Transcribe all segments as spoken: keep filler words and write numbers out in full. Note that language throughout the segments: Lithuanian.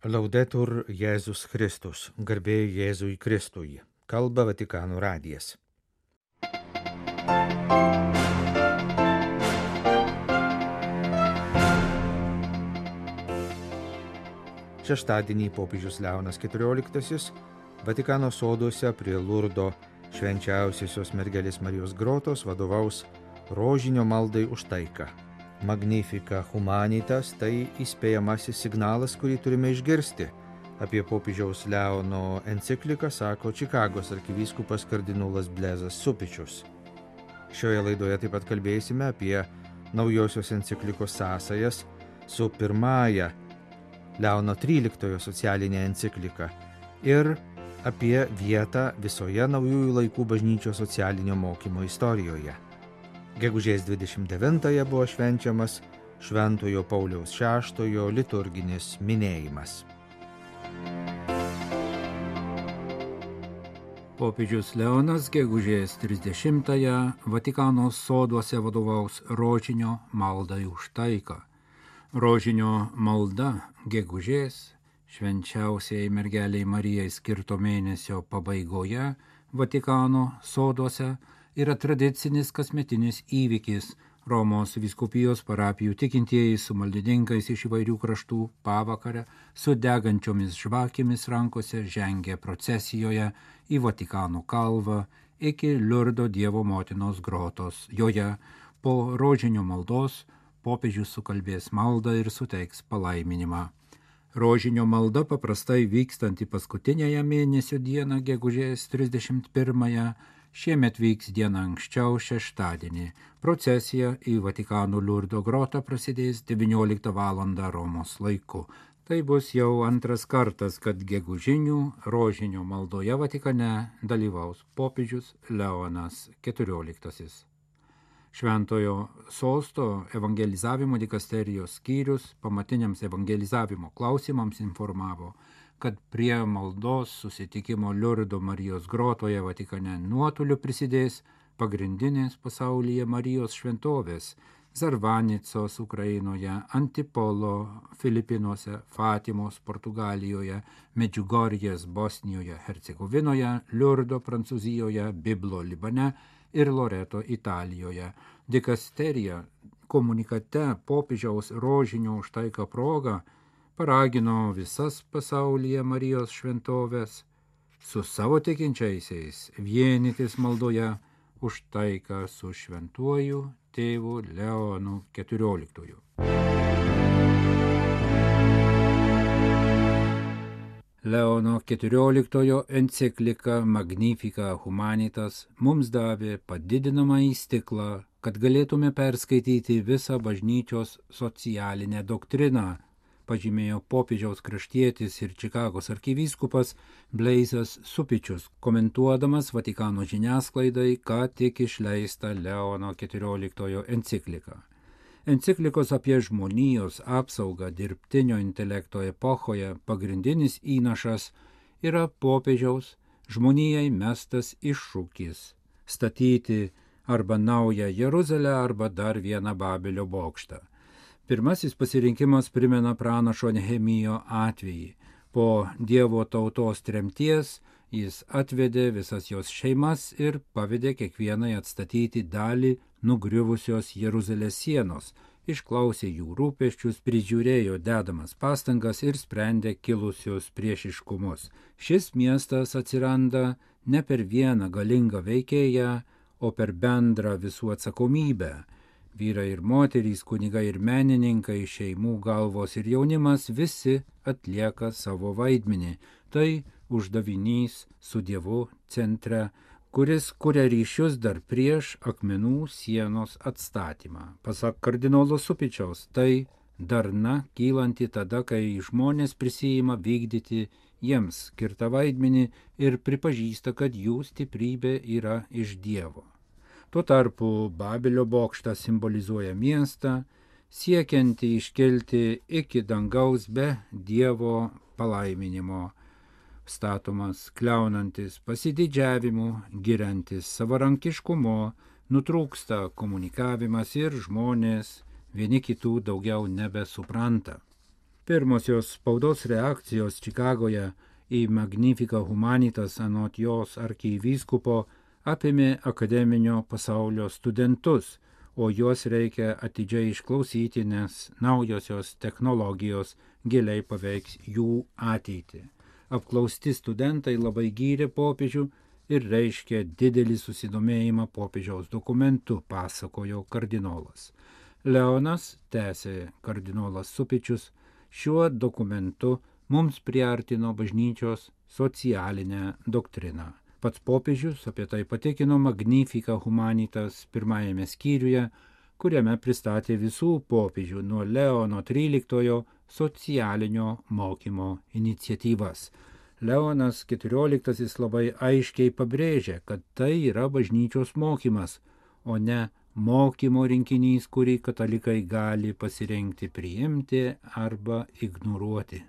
Laudetur Jėzus Kristus, garbė Jėzui Kristui, kalba Vatikano radijas. Šeštadienį popiežius Leonas keturioliktasis Vatikano soduose prie Lurdo švenčiausiosios mergelės Marijos grotos vadovaus rožinio maldai už taiką. Magnifica Humanitas tai įspėjamasis signalas, kurį turime išgirsti. Apie popiežiaus Leono encikliką sako Čikagos arkivyskupas kardinolas Blezas Supičius. Šioje laidoje taip pat kalbėsime apie naujosios enciklikos sąsajas su pirmąja Leono tryliktojo socialinė enciklika ir apie vietą visoje naujųjų laikų bažnyčios socialinio mokymo istorijoje. Gegužės dvidešimt devintąją buvo švenčiamas Šventojo Pauliaus šeštojo liturginis minėjimas. Popiežius Leonas gegužės trisdešimtąją Vatikano soduose vadovaus rožinio maldai už taiką. Rožinio malda gegužės švenčiausiai mergeliai Marijai skirto mėnesio pabaigoje Vatikano soduose yra tradicinis kasmetinis įvykis. Romos vyskupijos parapijų tikintieji su maldininkais iš įvairių kraštų pavakarę su degančiomis žvakėmis rankose žengia procesijoje į Vatikano kalvą iki Liurdo Dievo motinos grotos. Joje po rožinio maldos popiežius sukalbės maldą ir suteiks palaiminimą. Rožinio malda paprastai vykstanti paskutinėje mėnesio dieną gegužės trisdešimt pirmąją šiemet vyks dieną anksčiau šeštadienį. Procesija į Vatikano Liurdo grotą prasidės devynioliktą valandą Romos laiku. Tai bus jau antras kartas, kad gegužinių rožinio maldoje Vatikane dalyvaus popiežius Leonas keturioliktasis. Šventojo sosto evangelizavimo dikasterijos skyrius pamatiniams evangelizavimo klausimams informavo, kad prie maldos susitikimo Liurdo Marijos grotoje Vatikane nuotoliu prisidės pagrindinės pasaulyje Marijos šventovės Zarvanicos Ukrainoje, Antipolo Filipinuose, Fatimos Portugalijoje, Medžiugorjės Bosnijoje, Hercegovinoje, Liurdo Prancūzijoje, Biblo Libane ir Loreto Italijoje. Dikasterija komunikate popiežiaus rožinio už taiką proga paragino visas pasaulyje Marijos šventovės su savo tikinčiaisiais vienytis maldoje už taiką su šventuoju tėvu Leonu keturioliktuoju. Leono keturioliktojo enciklika Magnifica Humanitas mums davė padidinamąjį stiklą, kad galėtume perskaityti visą bažnyčios socialinę doktriną, pažymėjo popiežiaus kraštietis ir Čikagos arkivyskupas Blezas Supičius, komentuodamas Vatikano žiniasklaidai ką tik išleistą Leono keturioliktojo encikliką. Enciklikos apie žmonijos apsaugą dirbtinio intelekto epochoje pagrindinis įnašas yra popiežiaus žmonijai mestas iššūkis statyti arba naują Jeruzalę arba dar vieną Babelio bokštą. Pirmasis pasirinkimas primena pranašo Nehemijo atvejį. Po Dievo tautos tremties jis atvedė visas jos šeimas ir pavedė kiekvienai atstatyti dalį nugriuvusios Jeruzalės sienos, išklausė jų rūpesčius, prižiūrėjo dedamas pastangas ir sprendė kilusius priešiškumus. Šis miestas atsiranda ne per vieną galingą veikėją, o per bendrą visų atsakomybę. Vyrai ir moterys, kunigai ir menininkai, šeimų galvos ir jaunimas visi atlieka savo vaidmenį. Tai uždavinys su Dievu centre, kuris kuria ryšius dar prieš akmenų sienos atstatymą. Pasak kardinolo Supičiaus, tai darna kylanti tada, kai žmonės prisijima vykdyti jiems skirtą vaidmenį ir pripažįsta, kad jų stiprybė yra iš Dievo. Tuo tarpu Babelio bokštas simbolizuoja miestą, siekiantį iškelti iki dangaus be Dievo palaiminimo, statomas kliaunantis pasididžiavimu, giriantis savarankiškumu, nutrūksta komunikavimas ir žmonės vieni kitų daugiau nebesupranta. Pirmosios spaudos reakcijos Čikagoje į Magnificat Humanitas anot jos arkivyskupo apėmė akademinio pasaulio studentus, o juos reikia atidžiai išklausyti, nes naujosios technologijos giliai paveiks jų ateitį. Apklausti studentai labai gyrė popiežių ir reiškė didelį susidomėjimą popiežiaus dokumentu, pasakojo kardinolas. Leonas, tęsė kardinolas Supičius, šiuo dokumentu mums priartino bažnyčios socialinę doktriną. Pats popiežius apie tai patikino Magnificat Humanitas pirmajame skyriuje, kuriame pristatė visų popiežių nuo Leono tryliktojo socialinio mokymo iniciatyvas. Leonas keturioliktasis labai aiškiai pabrėžė, kad tai yra bažnyčios mokymas, o ne mokymo rinkinys, kurį katalikai gali pasirinkti priimti arba ignoruoti.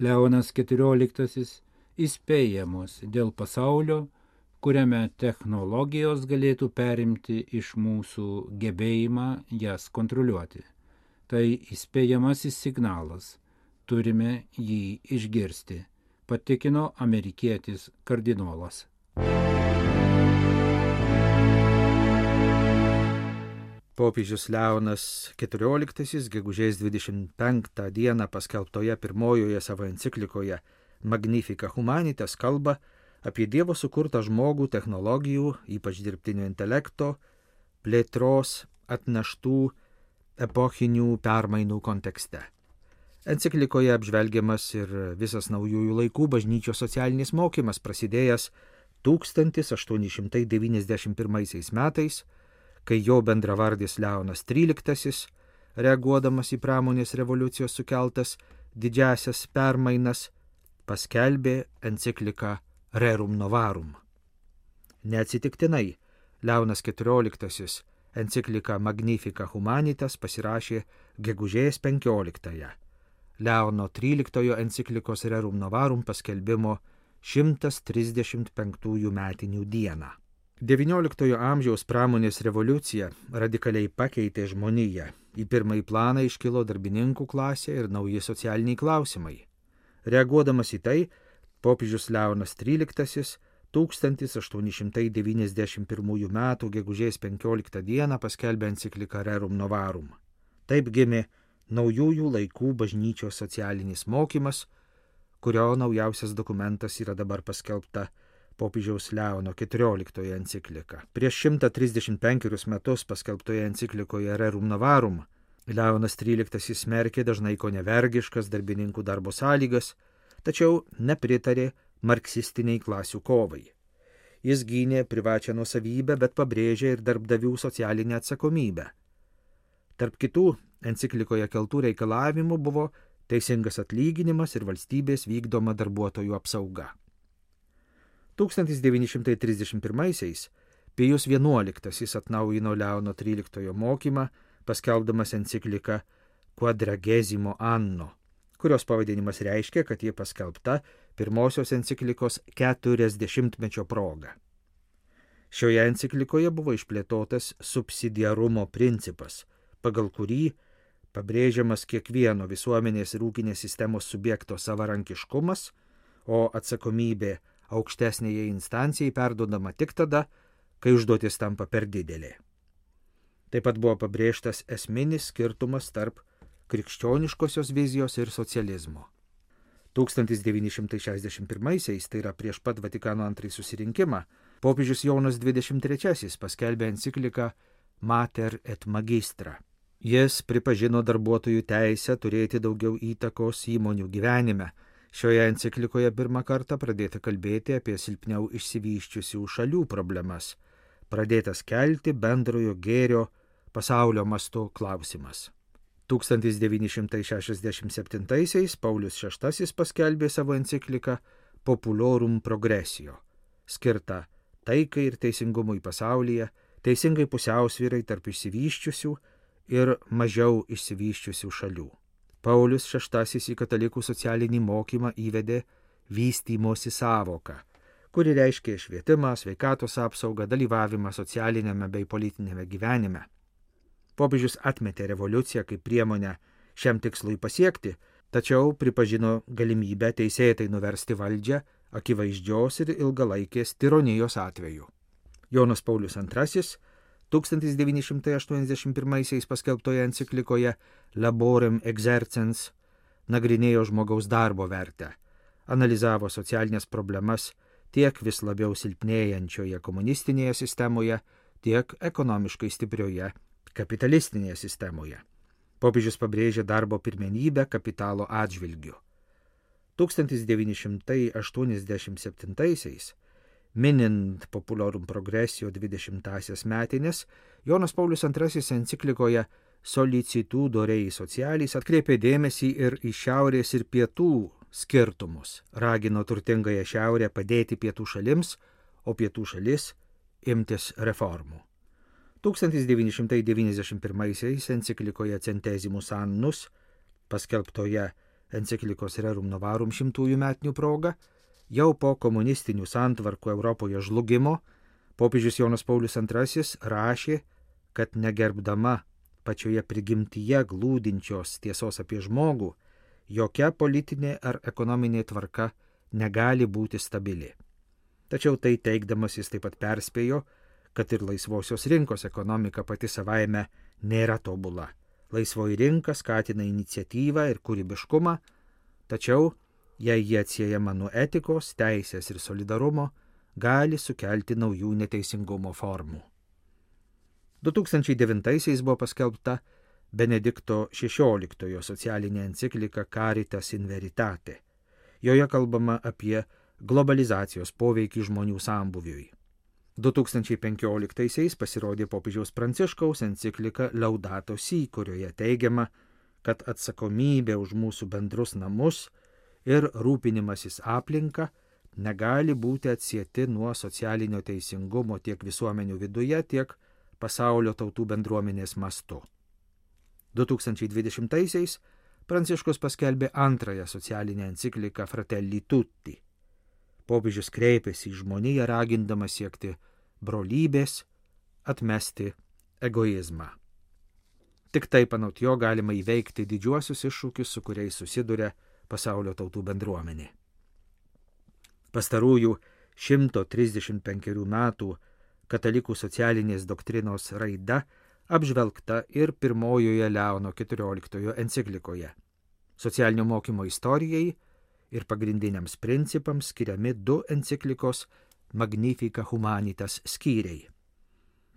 Leonas keturioliktasis įspėja mus dėl pasaulio, kuriame technologijos galėtų perimti iš mūsų gebėjimą jas kontroliuoti. Tai įspėjamasis signalas, turime jį išgirsti, patikino amerikietis kardinolas. Popiežius Leonas keturioliktasis gegužės dvidešimt penktą dieną paskelbtoje pirmojoje savo enciklikoje Magnificat Humanitas kalba apie Dievo sukurtą žmogų technologijų, ypač dirbtinio intelekto, plėtros atneštų epochinių permainų kontekste. Enciklikoje apžvelgiamas ir visas naujųjų laikų bažnyčios socialinis mokymas, prasidėjęs tūkstantis aštuoni šimtai devyniasdešimt pirmaisiais metais, kai jo bendravardis Leonas tryliktasis, reaguodamas į pramonės revoliucijos sukeltas didžiasias permainas, paskelbė encikliką Rerum Novarum. Neatsitiktinai Leonas keturioliktasis encikliką Magnificat Humanitas pasirašė gegužės penkioliktąją, Leono tryliktojo enciklikos Rerum Novarum paskelbimo šimtas trisdešimt penktųjų metinių dieną. devynioliktojo amžiaus pramonės revoliucija radikaliai pakeitė žmoniją. Į pirmąjį planą iškilo darbininkų klasė ir nauji socialiniai klausimai. Reaguodamas į tai, popiežius Leonas tryliktasis tūkstantis aštuoni šimtai devyniasdešimt pirmųjų metų gegužės penkioliktą dieną paskelbė encikliką Rerum Novarum. Taip gimė naujųjų laikų bažnyčios socialinis mokymas, kurio naujausias dokumentas yra dabar paskelbta popiežiaus Leono keturioliktoje enciklika. Prieš šimtą trisdešimt penkerius metus paskelbtoje enciklikoje Rerum Novarum Leonas tryliktasis smerkė dažnai konevergiškas darbininkų darbo sąlygas, tačiau nepritarė marksistiniai klasių kovai. Jis gynė privačią nuosavybę, bet pabrėžė ir darbdavių socialinę atsakomybę. Tarp kitų enciklikoje keltų reikalavimų buvo teisingas atlyginimas ir valstybės vykdoma darbuotojų apsauga. tūkstantis devyni šimtai trisdešimt pirmaisiais Pijus vienuoliktasis atnaujino Leono tryliktojo mokymą, paskelbdamas encikliką Quadragesimo Anno, kurios pavadinimas reiškia, kad ji paskelbta pirmosios enciklikos keturiasdešimtmečio proga. Šioje enciklikoje buvo išplėtotas subsidiarumo principas, pagal kurį pabrėžiamas kiekvieno visuomenės ir ūkinės sistemos subjekto savarankiškumas, o atsakomybė aukštesnėje instancijai perduodama tik tada, kai užduotis tampa per didelė. Taip pat buvo pabrėžtas esminis skirtumas tarp krikščioniškosios vizijos ir socializmo. tūkstantis devyni šimtai šešiasdešimt pirmaisiais, tai yra prieš pat Vatikano antrąjį susirinkimą, popiežius Jonas dvidešimt trečiasis paskelbė encikliką Mater et Magistra. Jis pripažino darbuotojų teisę turėti daugiau įtakos įmonių gyvenime. Šioje enciklikoje pirmą kartą pradėta kalbėti apie silpniau išsivyščiusių šalių problemas, pradėtas kelti bendrojo gėrio pasaulio mastu klausimas. tūkstantis devyni šimtai šešiasdešimt septintaisiais Paulius šeštasis paskelbė savo encikliką Populorum Progressio, skirtą taikai ir teisingumui pasaulyje, teisingai pusiausvyrai tarp išsivyščiusių ir mažiau išsivyščiusių šalių. Paulius šeštasis į katalikų socialinį mokymą įvedė vystymosi sąvoką, kuri reiškia švietimą, sveikatos apsaugą, dalyvavimą socialinėme bei politinėme gyvenime. Popiežius atmetė revoliuciją kaip priemonę šiam tikslui pasiekti, tačiau pripažino galimybę teisėtai nuversti valdžią akivaizdžios ir ilgalaikės tironijos atveju. Jonas Paulius antrasis tūkstantis devyni šimtai aštuoniasdešimt pirmaisiais paskelbtoje enciklikoje Laborem Exercens nagrinėjo žmogaus darbo vertę, analizavo socialinės problemas tiek vis labiau silpnėjančioje komunistinėje sistemoje, tiek ekonomiškai stiprioje kapitalistinėje sistemoje. Popiežius pabrėžė darbo pirmenybę kapitalo atžvilgiu. tūkstantis devyni šimtai aštuoniasdešimt septintaisiais, minint Populorum Progressio dvidešimtąsias metines, Jonas Paulius antrasis enciklikoje Solicitudo Rei Socialis atkreipė dėmesį ir į šiaurės ir pietų skirtumus, ragino turtingąją šiaurę padėti pietų šalims, o pietų šalis imtis reformų. tūkstantis devyni šimtai devyniasdešimt pirmaisiais enciklikoje Centesimus Annus, paskelbtoje enciklikos Rerum Novarum šimtųjų metinių proga, jau po komunistinių santvarkų Europoje žlugimo, popiežius Jonas Paulius antrasis rašė, kad negerbdama pačioje prigimtyje glūdinčios tiesos apie žmogų, jokia politinė ar ekonominė tvarka negali būti stabili. Tačiau tai teigdamas jis taip pat perspėjo, kad ir laisvosios rinkos ekonomika pati savaime nėra tobula. Laisvoji rinka skatina iniciatyvą ir kūrybiškumą, tačiau, jei jie atsiejama nuo etikos, teisės ir solidarumo, gali sukelti naujų neteisingumo formų. du tūkstančiai devintaisiais buvo paskelbta Benedikto šešioliktojo socialinė enciklika Caritas in Veritate. Joje kalbama apie globalizacijos poveikį žmonių sambūviui. du tūkstančiai penkioliktaisiais pasirodė popiežiaus Pranciškaus enciklika Laudato Si, kurioje teigiama, kad atsakomybė už mūsų bendrus namus ir rūpinimasis aplinka negali būti atsieti nuo socialinio teisingumo tiek visuomenių viduje, tiek pasaulio tautų bendruomenės mastu. du tūkstančiai dvidešimtaisiais Pranciškus paskelbė antrąją socialinę encikliką Fratelli Tutti. Popiežius kreipėsi į žmoniją ragindamas siekti brolybės, atmesti egoizmą. Tik taip anot jo galima įveikti didžiuosius iššūkius, su kuriais susiduria pasaulio tautų bendruomenė. Pastarųjų šimto trisdešimt penkerių metų katalikų socialinės doktrinos raida apžvelgta ir pirmojoje Leono keturioliktojo enciklikoje. Socialinio mokymo istorijai ir pagrindiniams principams skiriami du enciklikos Magnifica Humanitas skyriai.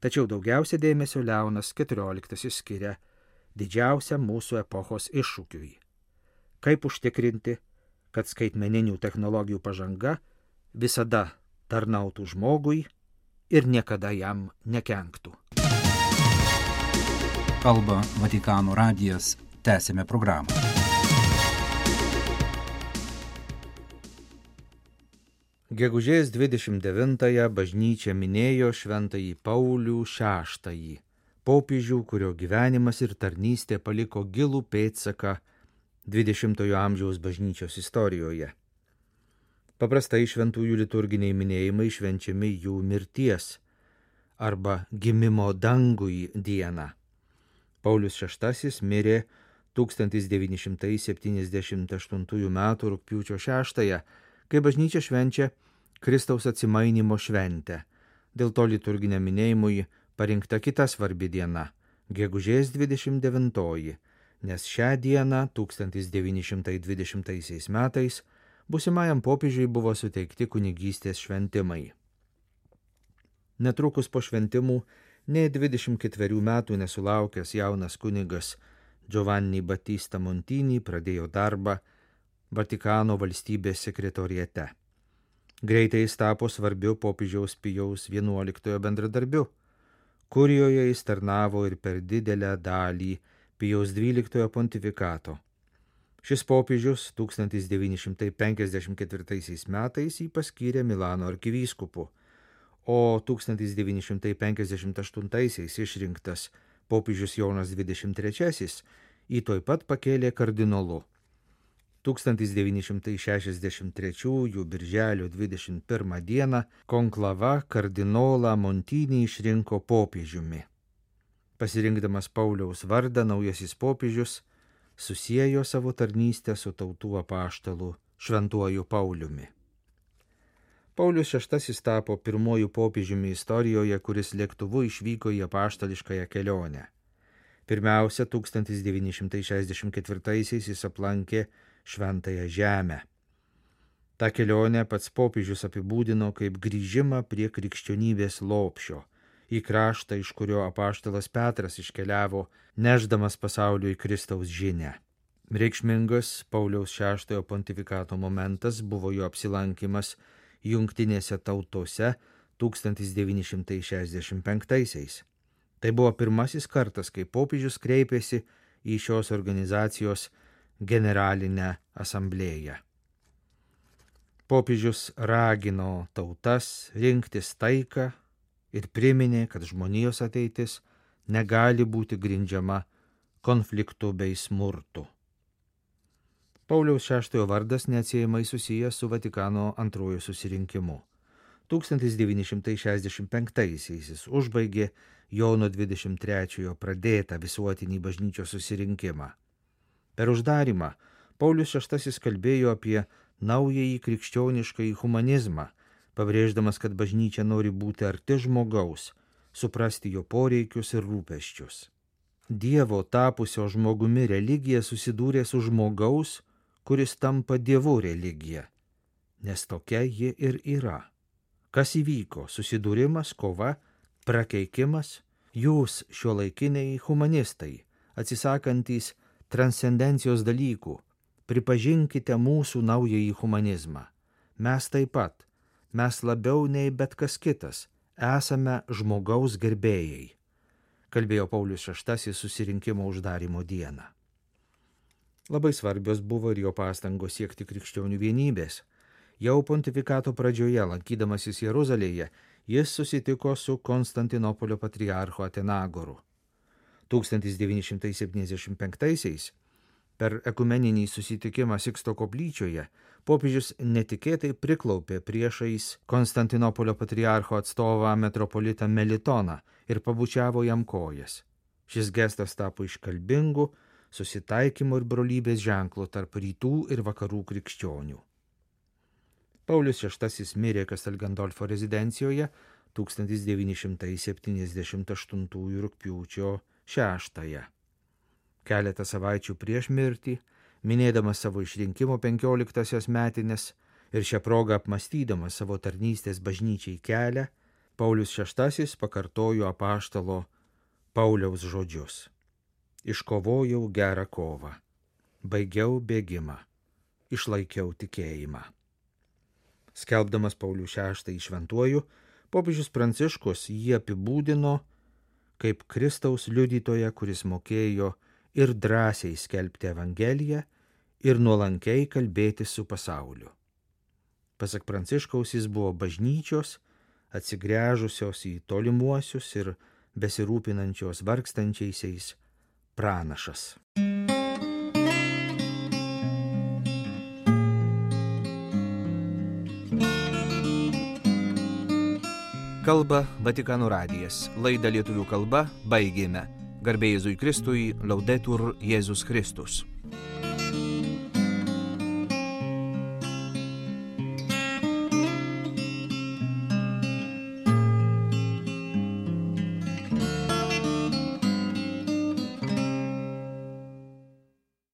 Tačiau daugiausia dėmesio Leonas keturioliktasis skiria didžiausiam mūsų epochos iššūkiui. Kaip užtikrinti, kad skaitmeninių technologijų pažanga visada tarnautų žmogui ir niekada jam nekenktų. Kalba Vatikano radijas, tęsime programą. Gegužės dvidešimt devintąją bažnyčia minėjo šventąjį Paulių šeštąjį, popiežių, kurio gyvenimas ir tarnystė paliko gilų pėdsaką dvidešimtojo amžiaus bažnyčios istorijoje. Paprastai šventųjų liturginiai minėjimai švenčiami jų mirties arba gimimo dangui dieną. Paulius šeštasis mirė tūkstantis devyni šimtai septyniasdešimt aštuntųjų metų rugpjūčio šeštąją, kai bažnyčia švenčia Kristaus atsimainymo šventę. Dėl to liturginiam minėjimui parinkta kita svarbi diena – gegužės dvidešimt devintoji, nes šią dieną tūkstantis devyni šimtai dvidešimtaisiais metais būsimajam popiežiui buvo suteikti kunigystės šventimai. Netrukus po šventimų, nei dvidešimt ketverių metų nesulaukęs jaunas kunigas Giovanni Battista Montini pradėjo darbą Vatikano valstybės sekretoriate. Greitai jis tapo svarbiu popiežiaus Pijaus vienuoliktojo bendradarbiu. Kurijoje jis tarnavo ir per didelę dalį Pijaus dvyliktojo pontifikato. Šis popiežius tūkstantis devyni šimtai penkiasdešimt ketvirtaisiais metais jį paskyrė Milano arkivyskupu, o tūkstantis devyni šimtai penkiasdešimt aštuntaisiais išrinktas popiežius Jonas dvidešimt trečiasis jį tuoj pat pakėlė kardinolu. tūkstantis devyni šimtai šešiasdešimt trečiųjų birželio dvidešimt pirmą dieną konklava kardinolą Montinį išrinko popiežiumi. Pasirinkdamas Pauliaus vardą, naujasis popiežius susiejo savo tarnystę su tautų apaštalu Šventuoju Pauliumi. Paulius šeštasis tapo pirmuoju popiežiumi istorijoje, kuris lėktuvu išvyko į apaštališkąją kelionę. Pirmiausia, tūkstantis devyni šimtai šešiasdešimt ketvirtaisiais jis aplankė Šventąją Žemę. Ta kelionė pats popiežius apibūdino kaip grįžimą prie krikščionybės lopšio, į kraštą, iš kurio apaštalas Petras iškeliavo, nešdamas pasauliui Kristaus žinią. Reikšmingas Pauliaus šeštojo pontifikato momentas buvo jo apsilankimas Jungtinėse tautose tūkstantis devyni šimtai šešiasdešimt penktaisiais. Tai buvo pirmasis kartas, kai popiežius kreipėsi į šios organizacijos generalinę asamblėją. Popiežius ragino tautas rinktis taiką ir priminė, kad žmonijos ateitis negali būti grindžiama konfliktu bei smurtu. Pauliaus šeštojo vardas neatsiejamai susijęs su Vatikano antrojo susirinkimu. tūkstantis devyni šimtai šešiasdešimt penktaisiais jis užbaigė Jono dvidešimt trečiojo pradėtą visuotinį bažnyčios susirinkimą. Per uždarimą Paulius šeštasis kalbėjo apie naująjį krikščioniškąjį humanizmą, pabrėždamas, kad bažnyčia nori būti arti žmogaus, suprasti jo poreikius ir rūpesčius. Dievo tapusio žmogumi religija susidūrė su žmogaus, kuris tampa Dievu religija, nes tokia ji ir yra. Kas įvyko? Susidūrimas, kova, prakeikimas? Jūs, šiuolaikiniai humanistai, atsisakantys transcendencijos dalykų, pripažinkite mūsų naująjį humanizmą. Mes taip pat, mes labiau nei bet kas kitas, esame žmogaus gerbėjai, kalbėjo Paulius šeštasis susirinkimo uždarimo dieną. Labai svarbios buvo ir jo pastangos siekti krikščionių vienybės. Jau pontifikato pradžioje, lankydamasis Jeruzalėje, jis susitiko su Konstantinopolio patriarchu Atenagoru. tūkstantis devyni šimtai septyniasdešimt penktaisiais per ekumeninį susitikimą Siksto koplyčioje popiežius netikėtai priklaupė priešais Konstantinopolio patriarcho atstovą metropolitą Melitoną ir pabučiavo jam kojas. Šis gestas tapo iškalbingu susitaikymo ir brolybės ženklu tarp rytų ir vakarų krikščionių. Paulius šeštasis mirė Kastel Gandolfo rezidencijoje tūkstantis devyni šimtai septyniasdešimt aštuntųjų rugpjūčio šeštąją. Keletą savaičių prieš mirtį, minėdamas savo išrinkimo penkioliktąsias metines ir šią progą apmąstydamas savo tarnystės bažnyčiai kelią, Paulius šeštasis pakartojo apaštalo Pauliaus žodžius. Iškovojau gerą kovą, baigiau bėgimą, išlaikiau tikėjimą. Skelbdamas Paulių šeštąjį šventuoju, popiežius Pranciškus jį apibūdino kaip Kristaus liudytoją, kuris mokėjo ir drąsiai skelbti Evangeliją ir nuolankiai kalbėti su pasauliu. Pasak Pranciškaus, jis buvo bažnyčios, atsigręžusios į tolimuosius ir besirūpinančios vargstančiaisiais pranašas. Kalba Vatikano radijas. Laidą lietuvių kalba baigėme. Garbė Jėzui Kristui, Laudetur Jėzus Kristus.